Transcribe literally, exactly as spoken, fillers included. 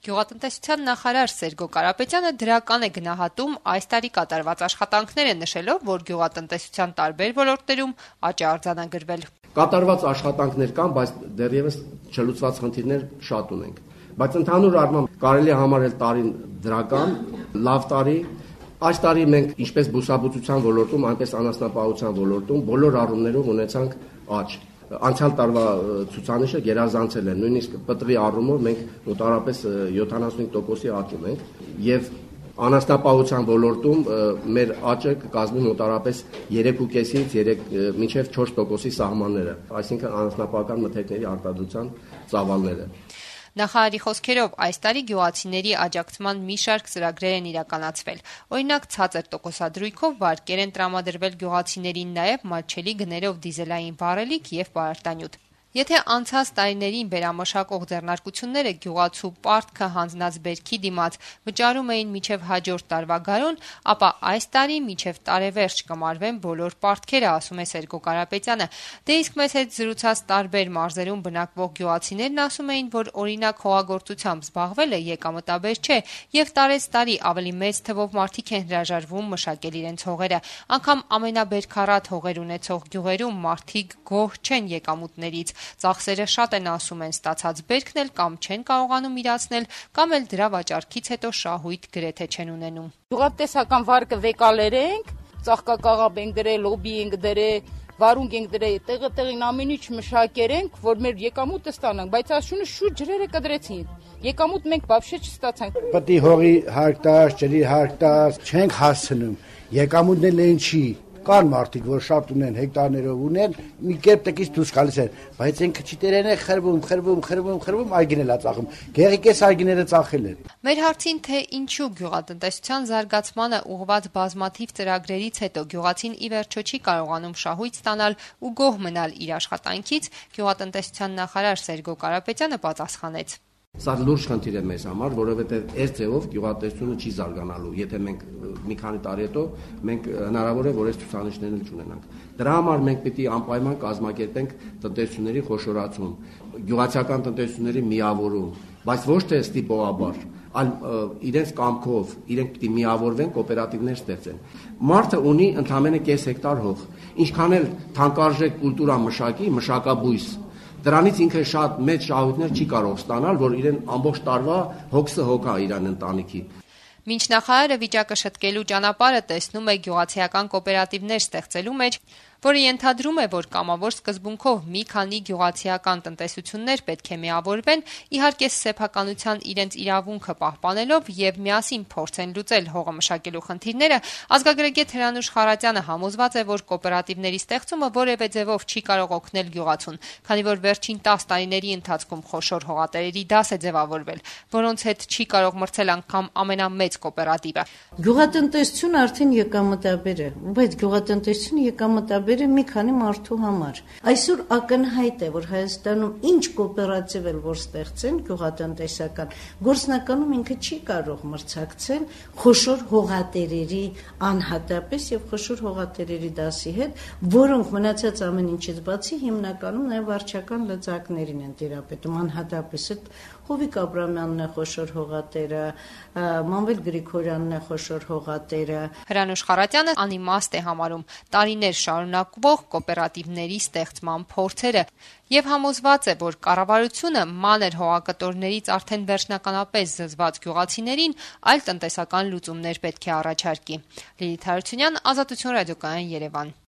Գյուղատնտեսության նախարար Սերգո Կարապետյանը դրական է գնահատում այս տարի կատարված աշխատանքները, նշելով, որ գյուղատնտեսության տարբեր ոլորտներում աճ է արձանագրվել։ Կատարված աշխատանքներ կան, բայց դեռևս չլուծված խնդիրներ շատ ունենք։ Բայց ընդհանուր առմամբ կարելի է համարել տարին դրական, լավ տարի։ Այս տարի մենք ինչպես բուսաբուծության ոլորտում, այնպես անասնապահության ոլորտում բոլոր առումներով ունեցանք աճ։ Անցյալ տարվա ցուցանիշը գերազանցել է, նույնիսկ պտղի առումով մենք մոտավորապես յոթանասունհինգ տոկոսի աճ ունենք եւ անասնապահության ոլորտում մեր աճը կկազմի մոտավորապես երեք ու կեսից երեք մինչև չորս տոկոսի սահմանները, այսինքն անասնապահական մթերքների արտադրության ծավալները։ Նախարարի խոսքերով այս տարի գյուղացիների աջակցման մի շարք ծրագրեր են իրականացվել։ Օրինակ, ցածր տոկոսադրույքով վարկեր են տրամադրվել գյուղացիներին, նաև մատչելի գներով դիզելային վառելիք եւ պարարտանյութ։ Եթե անցած տարիներին վերամշակող ձեռնարկությունները գյուղացու պարտքը հանձնած բերքի դիմաց վճարում էին մինչև հաջորդ տարվա գարուն, ապա այս տարի մինչև տարեվերջ կմարվեն բոլոր պարտքերը, ասում է Սերգո Կարապետյանը։ Դե իսկ մեզ հետ զրուցած տարբեր մարզերում բնակվող գյուղացիներն ասում էին, որ օրինակ հողագործությամբ զբաղվելը եկամտաբեր չէ եւ տարեց տարի ավելի մեծ թվով մարդիկ են հրաժարվում մշակել իրենց հողերը։ Անգամ ամենաբերքառատ հողեր ունեցող գյուղերում մարդիկ գոհ չեն եկամուտներից։ Ծախսերը շատ են, ասում են, ստացած բերքն էլ կամ չեն կարողանում իրացնել, կամ էլ դրա վաճառքից հետո շահույթ գրեթե չեն ունենում։ Գյուղատնտեսական վարկը վեկալեր ենք, ծաղկակաղապ ենք դրել, լոբի ենք դրել, վարունգ ենք դրել, տեղը տեղին ամեն ինչ մշակեր ենք, որ մեր եկամուտը ստանանք, բայց ասությունը շուտ ջրերը կդրեցին։ Եկամուտ մենք բավարար չստացանք։ Պետք է հողի հարկ տաս, ջրի հարկ տաս, չենք հասցնում։ Եկամուտն էլ են չի։ Կան մարդիկ, որ շատ ունեն, հեկտարներով ունեն, մի կերպ տկից դուրս գալիս են, բայց ինքը չիտերեն է խրվում, խրվում, խրվում, խրվում, այգինել է ծախում։ Գեղիկես այգիները ծախել են։ Մեր հարցին, թե ինչու գյուղատնտեսության զարգացմանը ուղղված բազմաթիվ ծրագրերից հետո գյուղացին ի վերջո չի կարողանում շահույթ ստանալ ու գոհ մնալ իր աշխատանքից, գյուղատնտեսության նախարար Սերգո Կարապետյանը պատասխանեց. Սա լուրջ խնդիր է մեզ համար, որովհետև այս ձևով գյուղատնտեսությունը չի զարգանալու։ Եթե մենք մի քանի տարի հետո մենք հնարավոր է որ այս ցուցանիշներն չունենանք։ Դրա համար մենք պետք է անպայման կազմակերպենք տնտեսությունների խոշորացում, գյուղացիական տնտեսությունների միավորում, բայց ոչ թե ստիպողաբար, այլ իրենց կամքով, իրենք պետք է միավորվեն, կոոպերատիվներ ստեղծեն։ Մարդը ունի ընդամենը կես հեկտար հող, ինչքան էլ թանկարժեք կուլտուրա մշակի, մշակաբույս Դրանից ինքը շատ մեծ շահույթներ չի կարող ստանալ, որ իրեն ամբողջ տարվա հոգսը հոգա իրան ընտանիքի։ Մինչ նախարարը վիճակը շտկելու ճանապարհը տեսնում է գյուղացիական կոոպերատիվներ ստեղծելու մեջ, որը ենթադրում է, որ կամավոր սկզբունքով մի քանի գյուղացիական տնտեսություններ պետք է միավորվեն, իհարկե սեփականության իրենց իրավունքը պահպանելով եւ միասին փորձեն լուծել հողը մշակելու խնդիրները, ազգագրագետ Հրանուշ Խարատյանը համոզված է, որ կոոպերատիվների ստեղծումը որևէ ձևով չի կարող օգնել գյուղացուն, քանի որ վերջին տասը տարիների ընթացքում խոշոր հողատերերի դաս է ձևավորվել, որոնց հետ չի կարող մրցել անգամ ամենամեծ կոոպերատիվը։ Գյուղատնտեսությունը արդեն եկամտաբեր է, բայց գյուղատնտեսությունը եկամտաբեր մի քանի մարդու համար։ Այսօր ակնհայտ է, որ Հայաստանում ինչ կոոպերատիվ էլ որ ստեղծեն գյուղատնտեսական, գործնականում ինքը չի կարող մրցակցել խոշոր հողատերերի անհատապես եւ խոշոր հողատերերի դասի հետ, որոնք մնացած ամեն ինչից բացի հիմնականում նաեւ վարչական լծակներին են տիրապետում, անհատապես այդ Հովիկ Աբրամյանն է խոշոր հողատերը, Մանվել Գրիգորյանն է խոշոր հողատերը։ Հրանուշ Խարատյանը անիմաստ է համարում տարիներ շարունակվող կոոպերատիվների ստեղծման փորձերը եւ համոզված է, որ կառավարությունը մանր հողակտորներից արդեն վերջնականապես զզված գյուղացիներին այլ տնտեսական լուծումներ պետք է առաջարկի։ Լիլիթ Հարությունյան, Ազատություն ռադիոկայան, Երևան։